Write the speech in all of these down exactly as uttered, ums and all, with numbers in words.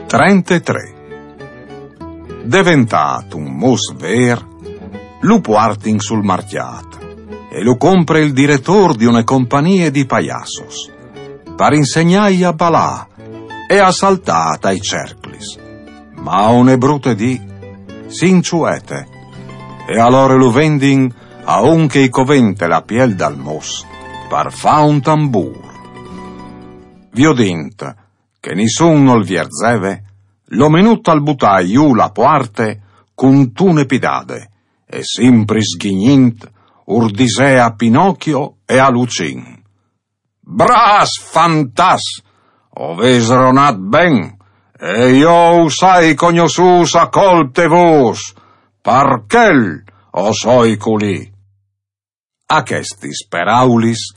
Trentetré. Deventât un mus vêr, lu puartin sul marcjât e lu compre il diretôr di une compagnie di paiassos, par insegnâi a balâ e a saltâ tai cerclis. Ma une brute dì si inçuete, e alore lu vendin a un che i covente la piel dal mus par fâ un tambûr. Viodint che nissun nol vierzeve, l'omenut al butà jù la puarte cuntune pidade e, simpri sghignint, ur disè a Pinocchio e a Lucin: «Brâfs fantats! O vês ronât ben, e jo us ai cognossûts a colp de vôs, par chel o soi culì.» A chestis peraulis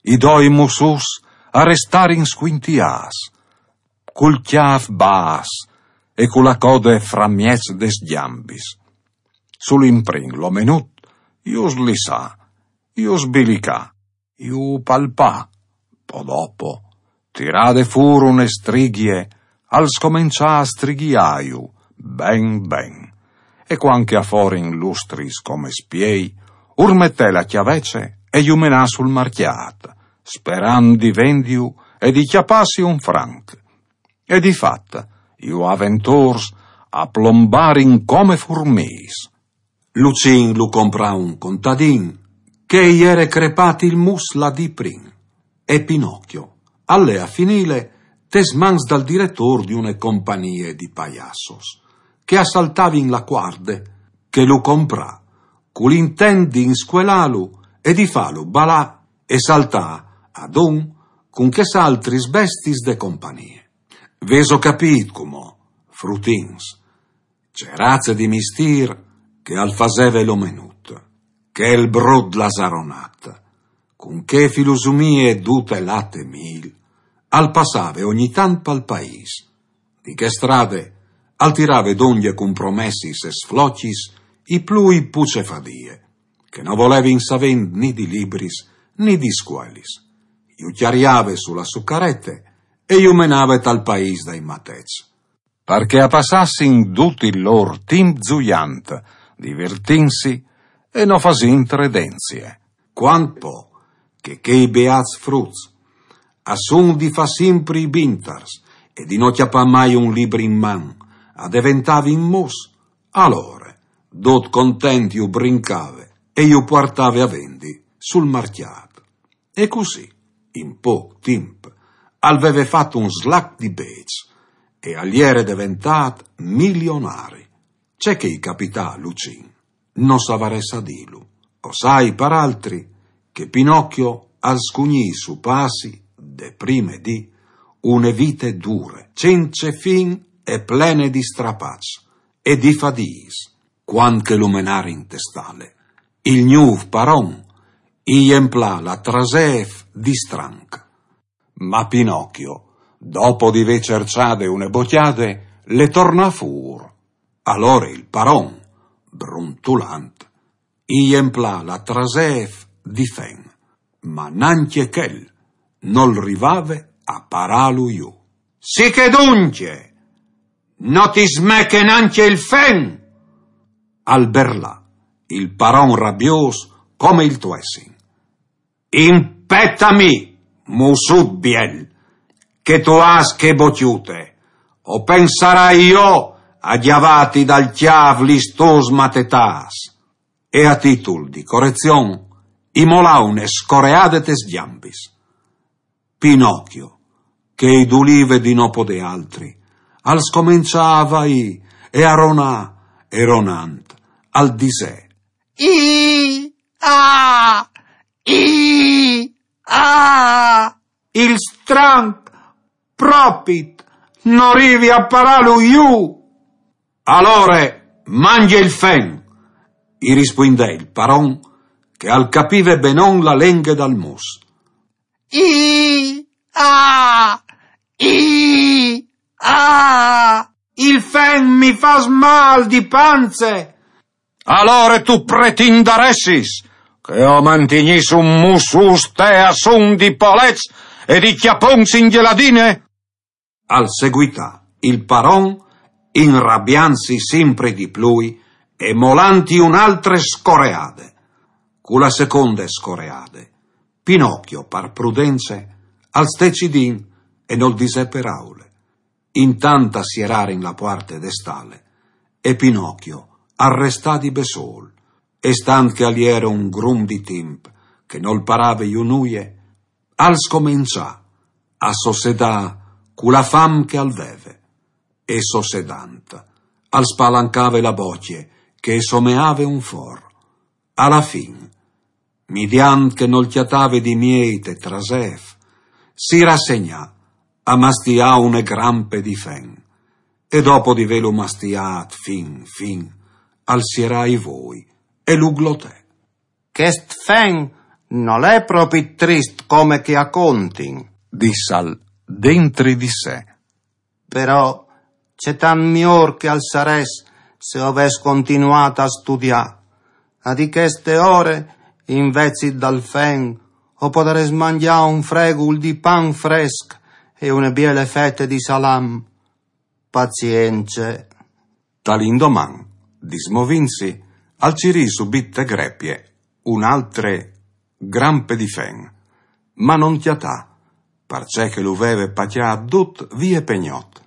i doi mussuts a restarin scuintiâts, cul cjâf bas e cu la code framieç des gjambis. Sul imprin l'omenut ju slissà, ju sbilicà, ju palpà, po dopo, tirade fûr une strighie, al scomençà a strighiâju ben ben. E cuant che a forin lustris come spiei, ur metè la cjavece e ju menà sul marcjât, sperant di vendiju e di cjapâsi un franc. E di fat, ju aventôrs a plombarin come furmîs. Lucin lu comprà un contadin che i jere crepât il mus la dì prin, e Pinocchio al lè a finîle tes mans dal diretôr di une compagnie di paiassos, che a saltavin la cuarde che lu comprà, cul intent di inscuelâlu e di fâlu balâ e saltâ adun cun chês altris bestiis de compagnie. Vêso capît cumò, frutins, ce raze di mistîr che al faseve l'omenut, chel brut lasaronat, cun chê filusumie dute lat e mîl, al passave ogni tant pal paîs. Di chê strade al tirave dongje cun promessis e sflocis i plui pucefadie, che no volevin savê ni di libris ni di scuelis. Ju cjariave su la sô carete e ju menave tal paîs dai mateçs, par che a passassin dut il lôr timp zuiant, divertintsi e no fasint redenzie. Cuant po che chei beâts fruts a son di fâ simpri i bintars e di no cjapâ mai un libri in man, a deventavin mus, alore, dut content ju brincave e ju puartave a vendi sul marcjât. E cussì, in pôc timp, al veve fat un slac di bêçs e al jere deventât milionari. Ce che i capità a Lucin no savarès a dîlu. O sai, par altri, che Pinocchio al scugnì su passi, de prime dì, une vite dure, cence fin e plene di strapaçs e di fadiis. Cuant che lu menarin te stale, il gnûf paron i jemplà la trasêf di stranc. Ma Pinocchio, dopo di vê cerçade une bocjade, le tornà fûr. Alore il paron, bruntulant, i jemplà la trasêf di fen, ma nancje chel nol rivave a parâlu jù. «Sichè duncje, no ti smeche nancje il fen!» al berlà il paron rabiôs come il tuessin. «Impeta mi, mussut biel, che tu âs chê bocjute, o pensarai jo a gjavâti dal cjâf lis tôs matetâs.» E a titul di corezion i molà une scoreade tes gjambis. Pinocchio, che i dulive di no podê altri, al scomençà a vaî e a ronâ, e ronant, al disè: «I, a, i, a!» «Il stranc propit no rivi a parâlu jù.» «Alore mangje il fen», i rispuindè il paron, che al capive benon la lenghe dal mus. «I, a, i, a!» «Il fen mi fâs mâl di panze.» «Alore tu pretindaressis che o mantignìs un mus ustê a sun di poleçs e di cjapons in gjeladine?» Al seguità Il paron, inrabiantsi simpri di plui e molanti un'altre scoreade. Cu la seconde scoreade, Pinocchio, par prudence, al stè cidin e nol disè peraule. Intant a sierarin la puarte de stale, e Pinocchio al restà di bessol, e stant che al iere un grum di timp che nol parave jù nuie, al scomençà a sossedà cu la fam che al veve, e sossedant al spalancave la bocje che someave un for. A la fin, midiant che nol cjatave di miei te trasef, si rassegnà a mastià une grampe di fen, e dopo di velu mastiat fin fin, al sierà i voi e lu glotè. Chest fen nol è propit trist come che a contin, dissal dentri di se. Però c'è tant mior che al sarès se o ves continuat a studià. A di cheste ore, invezit dal fen, o podarès mangià un fregul di pan fresc e une biele fete di salam. Pazience. Tal indoman, dismovintsi, al cirì subit te grepie un'altre grampe di fen, ma non cjatà, parcè che lu veve pacià dut vie pe gnot.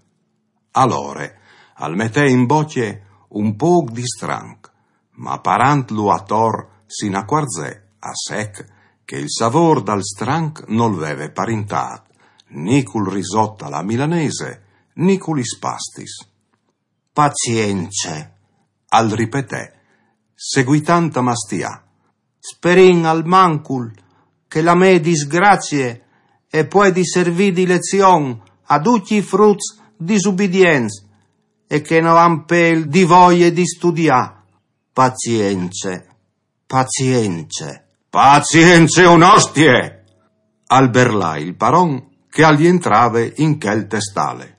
Alore al metè in bocje un poc di stranc, ma parantlu ator si inacuarzè a sec che il savor dal stranc nol veve parintat ni cul risot a la milanese ni cu lis pastis. Pazience, al ripetè, seguitant a mastià. Sperìn al mancul che la mê disgrazie e puedi servì di lezion a ducj i fruts disubidients e che no àn pel di voie di studià. Pazience, pazience. Pazience un'ostie! Al berlà il paron che al jentrave in chel te stale.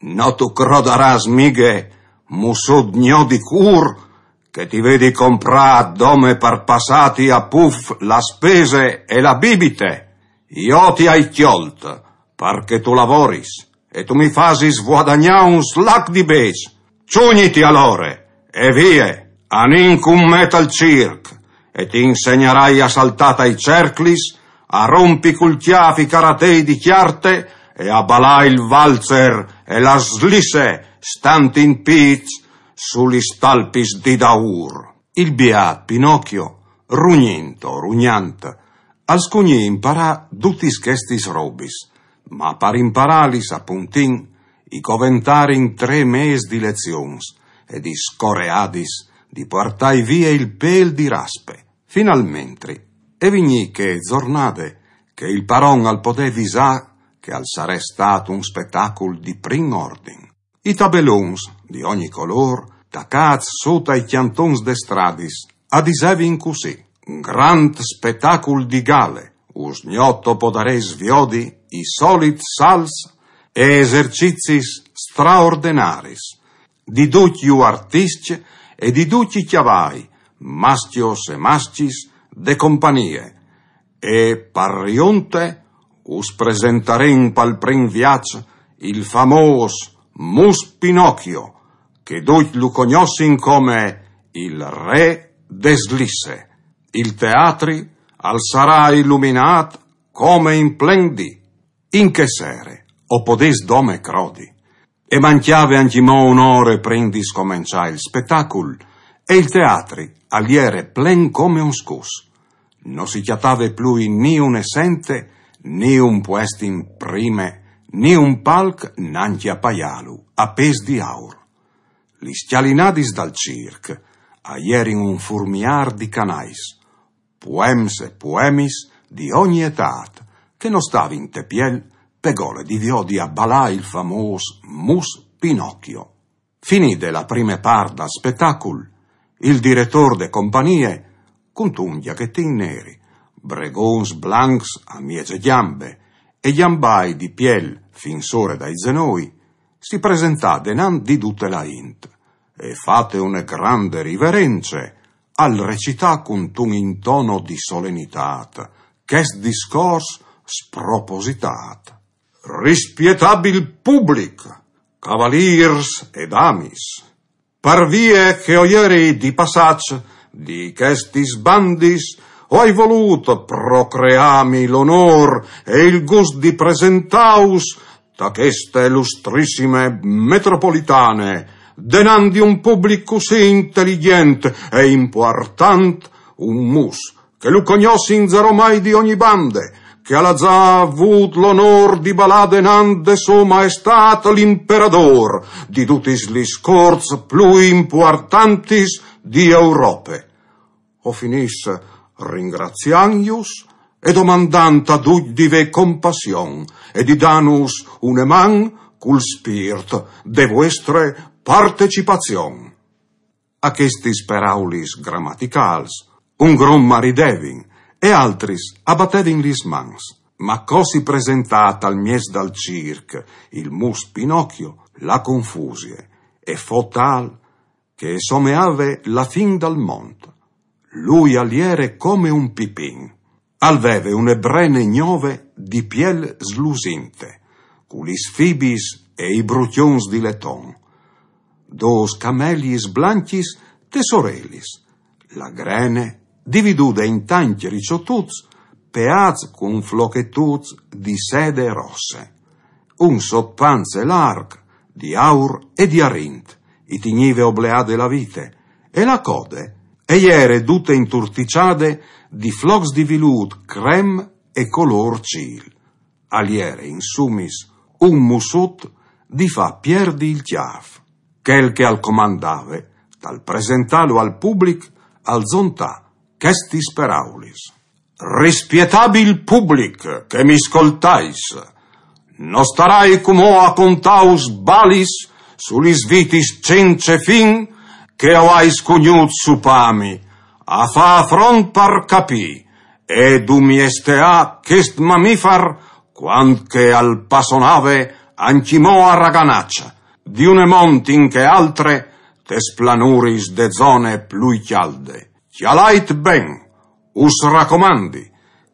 No tu crodarâs mighe, mussut gno di cûr, che ti vedi comprât dome par passâti a puf la spese e la bibite. Jo ti ai cjolt, par che tu lavoris, e tu mi fasis vuadagnâ un slac di bêçs. Çugniti alore, e vie, anìn cun me tal circ, e ti insegnarai a saltâ tai cerclis, a rompi cul cjâf i caratei di cjarte e a balâ il valzer e la slisse, stant in pîts su lis talpis di daûr. Il biât Pinocchio, rugnint o rugnant, al scugnì imparâ dutis chestis robis, ma par imparâlis a puntin i coventarin trê mês di lezions e di scoreadis di puartâi vie il pêl di raspe. Finalmentri e vignì chê zornade che il paron al podè visâ che al sarès stât un spetacul di prin ordin. I tabelons di ogni colôr, tacâts sot ai cjantons des stradis, a disevin cussì: Grant spetacul di gale, usgnot o podarês viodi i solits salts e esercizis straordenaris di ducj ju artiscj e di ducj i cjavai, mascjos e mascjis, de companie. E par riunte us presentarìn pal prin viaç il famôs Mus Pinocchio, che ducj lu cognossin come il re des lisse. Il teatri al sarà iluminât come in plen dì. In chê sere, o podês dome crodi, e mancjave ancjemò une ore prin di scomençâ il spetacul, e il teatri al jere plen come un scus. No si cjatave plui ni une sente, ni un puest in prime, ni un palc nancje a paiâlu a pês di aur. Lis cjalinadis dal circ a jerin un furmiâr di canais, puems e puemis di ogni etât, che no stavin te piel pe gole di viodi a balâ il famôs Mus Pinocchio. Finide la prime part dal spetacul, il diretôr de companie, cuntun gjachetin neri, bregons blancs a mieze gjambe e gjambai di piel fin sore dai zenoi, si presentà denant di dute la int e, fate une grande riverence, al recità cuntun intono di solenitât chest discors spropositât: Rispietabil public, Cavaliers e damis, par vie che o jeri di passaç di chestis bandis, o ai volut procreami l'onor e il gust di presentaus ta cheste lustrissime metropolitane, denant di un public cussì intelligent e impuartant, un mus che lu cognossin zaromai di ogni bande, che al à za vût l'onor di balâ denant de sô maestât l'imperadôr di dutis lis corts plui impuartantis di Europe. O finìs ringraziantjus e domandant a ducj di vê compassion e di dânus une man cul spirt de vuestre partecipazion. A chestis peraulis gramaticâls, un grum a ridevin e altris a batevin lis mans. Ma co si presentà tal mieç dal circ il mus Pinocchio, la confusie e fo tâl che e someave la fin dal mont. Lui al jere come un pipin. Al veve une brene gnove di piel slusinte, cu lis fibis e i brucjons di leton. Dôs cameliis blancjis tes orelis, la grene dividude in tancj riçotuts, peâts cun flochetuts di sede rosse. Un sotpance larc, di aur e di arint, i tignive obleade la vite, e la code e jere dute inturtiçade di flocs di vilût crem e colôr cîl. Al jere, insumis, un mussut di fâ pierdi il cjâf. Chel che al comandave, tal presentâlu al public, al zontà chestis peraulis: Rispietabil public che mi scoltais, no starai cumò a contâus balis su lis vitis cence fin che o ai scugnût supâmi, a fâ front par capî e dumieteâ chest mamifar cuant che al passonave ancjemò a raganaç, di une mont in chê altre, tes planuris de zone plui cjalde. Cjalait ben, us racomandi,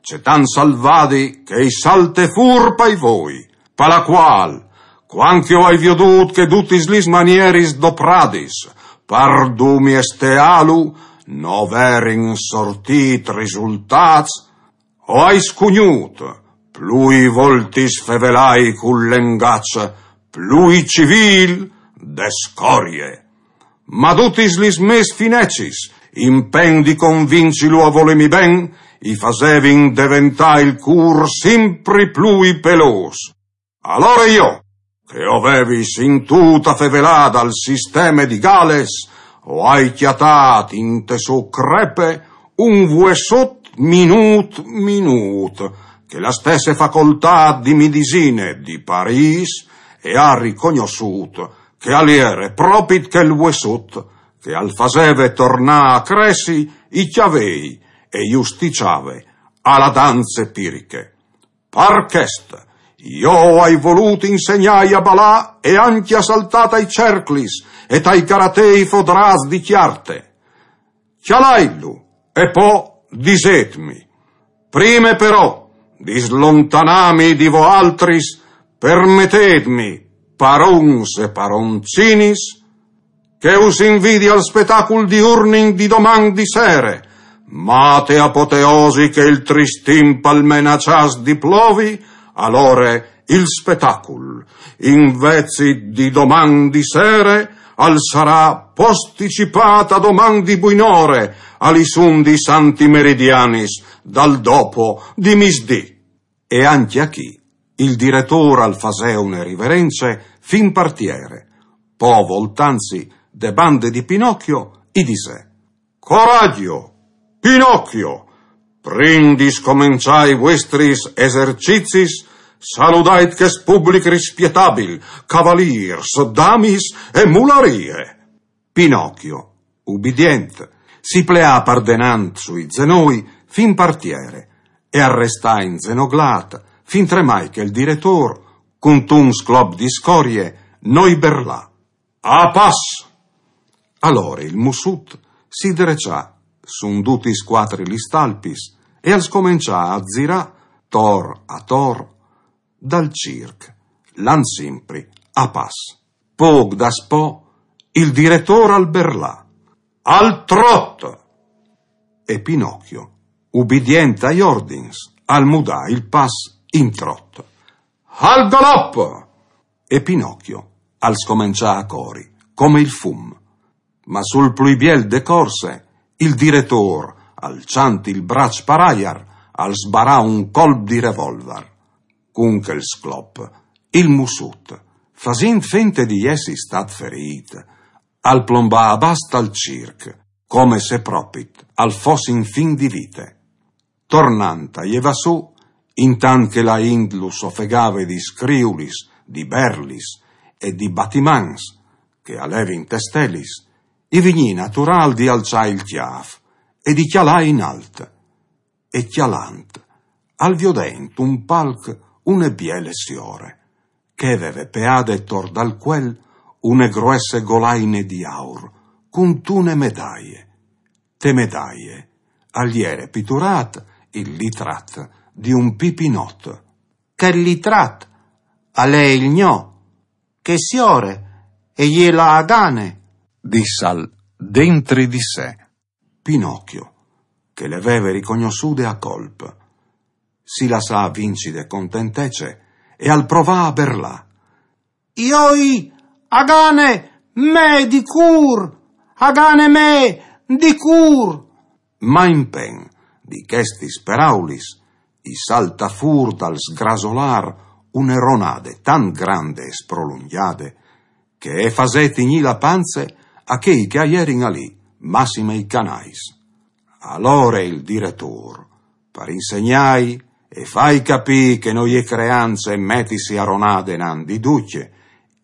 cetant salvadi che i salte fûr pai voi, pa la cuâl, cuant che o ai viodût che dutis lis manieris dopradis par dumieteâlu no verin sortît risultâts, o ai scugnût plui voltis fevelâi cul lengaç plui civîl de scorie. Ma dutis lis mês finecis, impen di convincilu a volêmi ben, i fasevin deventâ il cûr simpri plui pelôs. Alore jo, che o vevi sintût a fevelâ dal sisteme di Gales, o ai cjatât inte sô crepe un vuessut minût minût, che la stesse facoltât di midisine di Parîs e à ricognossût che al jere propit chel vuessut che al faseve tornâ a cressi i cjavei e ju stiçave a la danze piriche. Par chest, jo o ai volût insegnâi a balâ e ancje a saltâ tai cerclis e tai caratei fodrâts di cjarte. Cjalaitlu e po disêtmi. Prime però di slontanâmi di voaltris, permetêtmi, parons e paroncinis, che us invidi al spetacul di Urnin di doman di sere, ma te apoteosi che il trist timp al menaçàs di plovi, alore il spetacul, invezit di doman di sere, al sarà posticipât a doman di buinore, a lis undis antimeridianis dal dopo di misdì. E ancje achì il diretôr al fasè une riverence fin par tiere, po voltantsi de bande di Pinocchio i disè: Coragjo, Pinocchio! Prin di scomençâ i vuestris esercizis, saludait chest public rispietabil, cavalîrs, damis e mularie. Pinocchio, ubidient, si pleà par denant sui zenoi fin par tiere e al restà inzenoglât, fintremai che il diretôr, cuntun sclop di scorie, no i berlà: A pas! Alore il mussut si dreçà sù dutis cuatri lis talpis e al scomençà a zirâ tor ator dal circ, lant simpri a pas. Pôc daspò, il diretôr al berlà: «Al trot!» E Pinocchio, ubidient ai ordins, al mudà il pas in trot. «Al galop!» E Pinocchio al scomençà a cori, come il fum. Ma sul plui biel de corse, il diretôr, alçant il braç par aiar, al sbarà un colp di revolvar. Cun chel sclop, il mussut, fasint fente di jessi stât ferît, al plombà abàs tal circ, come se propit al fos in fin di vite. Tornant a jevâ sù, intant che la int lu sofegave di scriulis, di berlis e di batimans che a levin te stelis, i vignì naturâl di alçâ il cjâf e di cjalâ in alt. E cjalant, al viodè intun palc une biele siore, che e veve peade tor dal cuel une gruesse golaine di aur, cuntune medaie. Te medaie al jere piturât il litrat di un pipinot. «Chel litrat al è il gno, chê siore e je la Agane», dissal dentri di se. Pinocchio, che le veve ricognossude a colp, si lassà vinci de contentece e al provà a berlâ: «Joi, Agane mê di cûr, Agane mê di cûr!» Ma impen di chestis peraulis i saltà fûr dal sgrasolâr une ronade tant grande e sprolungjade che e fasè tignî la panze a chei che a jerin alì, massime i canais. Alore il diretôr, par insegnâi e fâi capî che no je creance metisi a ronade enant di ducj,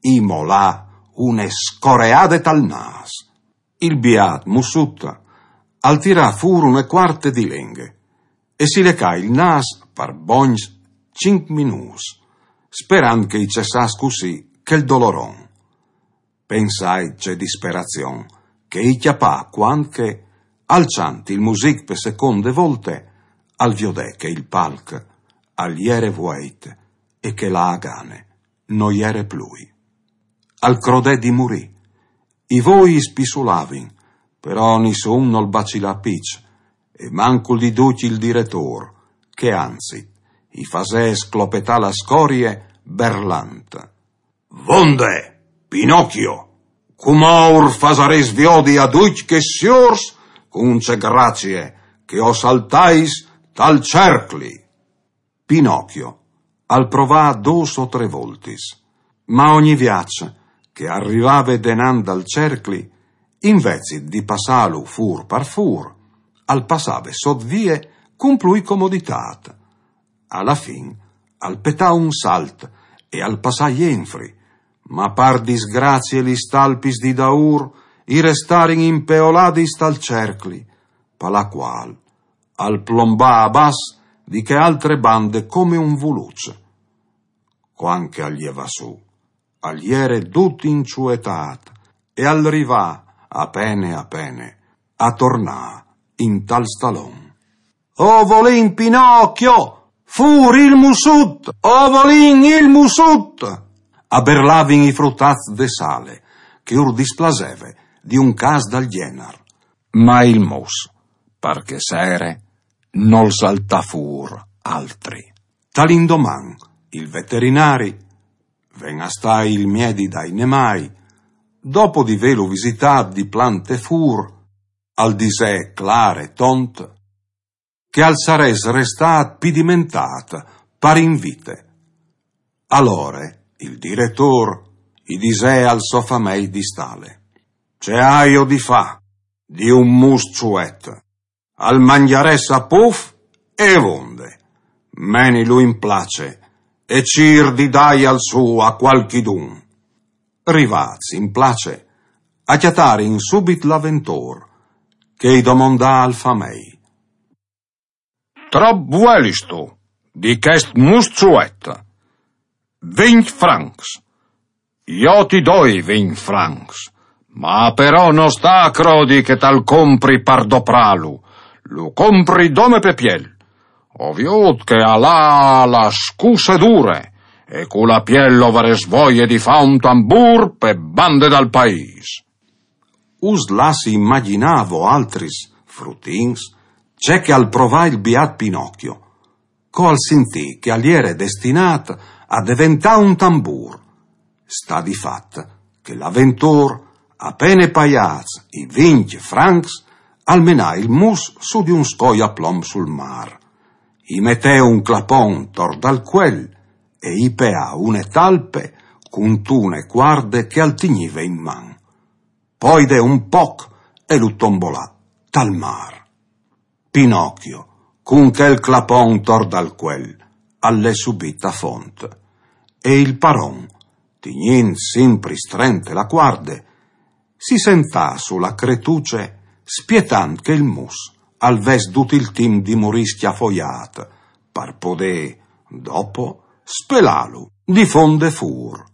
i molà une scoreade tal nâs. Il biât mussut al tirà fûr une cuarte di lenghe e si lecà il nâs par bogns cinc minûts, sperant che i cessàs cussì chel doloron. Pensait ce disperazion che i cjapà cuant che, alçant il music pe seconde volte, al viodè che il palc al jere vueit e che la Agane no jere plui. Al crodè di murî. I voi i spissulavin, però nissun nol bacilà piç, e mancul di ducj il diretôr, che anzit i fasè sclopetâ la scorie berlant: «Vonde, Pinocchio, cumò ur fasarês viodi a ducj chescj siôrs cun ce gracie che o saltais tal cercli.» Pinocchio al provà dôs o trê voltis, ma ogni viaç che al rivave denant dal cercli, invezit di passâlu fûr par fûr, al passave sot vie cun plui comoditât. A la fin al petà un salt e al passà jenfri, ma par disgracie lis talpis di daûr i restarin impeoladis tal cercli, pa la cuâl al plombà abàs di chê altre bande come un vuluç. Cuant che al jevà sù, al jere dut inçuetât e al rivà, a pene a pene, a tornâ intal stalon. «O volìn Pinocchio! Fûr il mussut! O volìn il mussut!» a berlavin i frutats de sale, che ur displaseve di un câs dal gjenar. Ma il mus, par chê sere, nol saltà fûr altri. Tal indoman, il veterinari, ven a stâi il miedi dai nemâi, dopo di vêlu visitât di plant e fûr, al disè clâr e tont che al sarès restât pidimentât par in vite. Alore il diretôr i disè al so famei di stale: «Ce aio di fâ di un mus çuet? Al mangjarès a puf e vonde. Menilu in place e cîr di dâial sù a cualchidun.» Rivâts in place, a cjatarin subit l'aventôr, che i domondà al famei: «Trop vuelistu di chest mus çuet?» «Vincj francs.» «Jo ti doi vincj francs, ma però no sta a crodi che tal compri par doprâlu, lu compri dome pe piel. O viôt che al à la scusse dure e cu la piel o varès voie di fâ un tambûr pe bande dal paîs. Us lassi imagjinâ voaltris, frutins, ce che al provà il biât Pinocchio, co al sintì che al jere destinât a deventâ un tambûr. Sta di fat che l'aventôr, a pene paiâts i vincj francs, al menà il mus sù di un scoi a plomb sul mâr. I metè un clapon tor dal cuel e i peà une talpe cuntune cuarde che al tignive in man. Po i dè un poc e lu tombolà tal mâr. Pinocchio, cun chel clapon tor dal cuel, al lè subit a font. E il paron, tignint simpri strente la cuarde, si sentà su la cretuce, spietant che il mus al ves dut il timp di murî scjafoiât, par podê, dopo, spelâlu di font de fûr.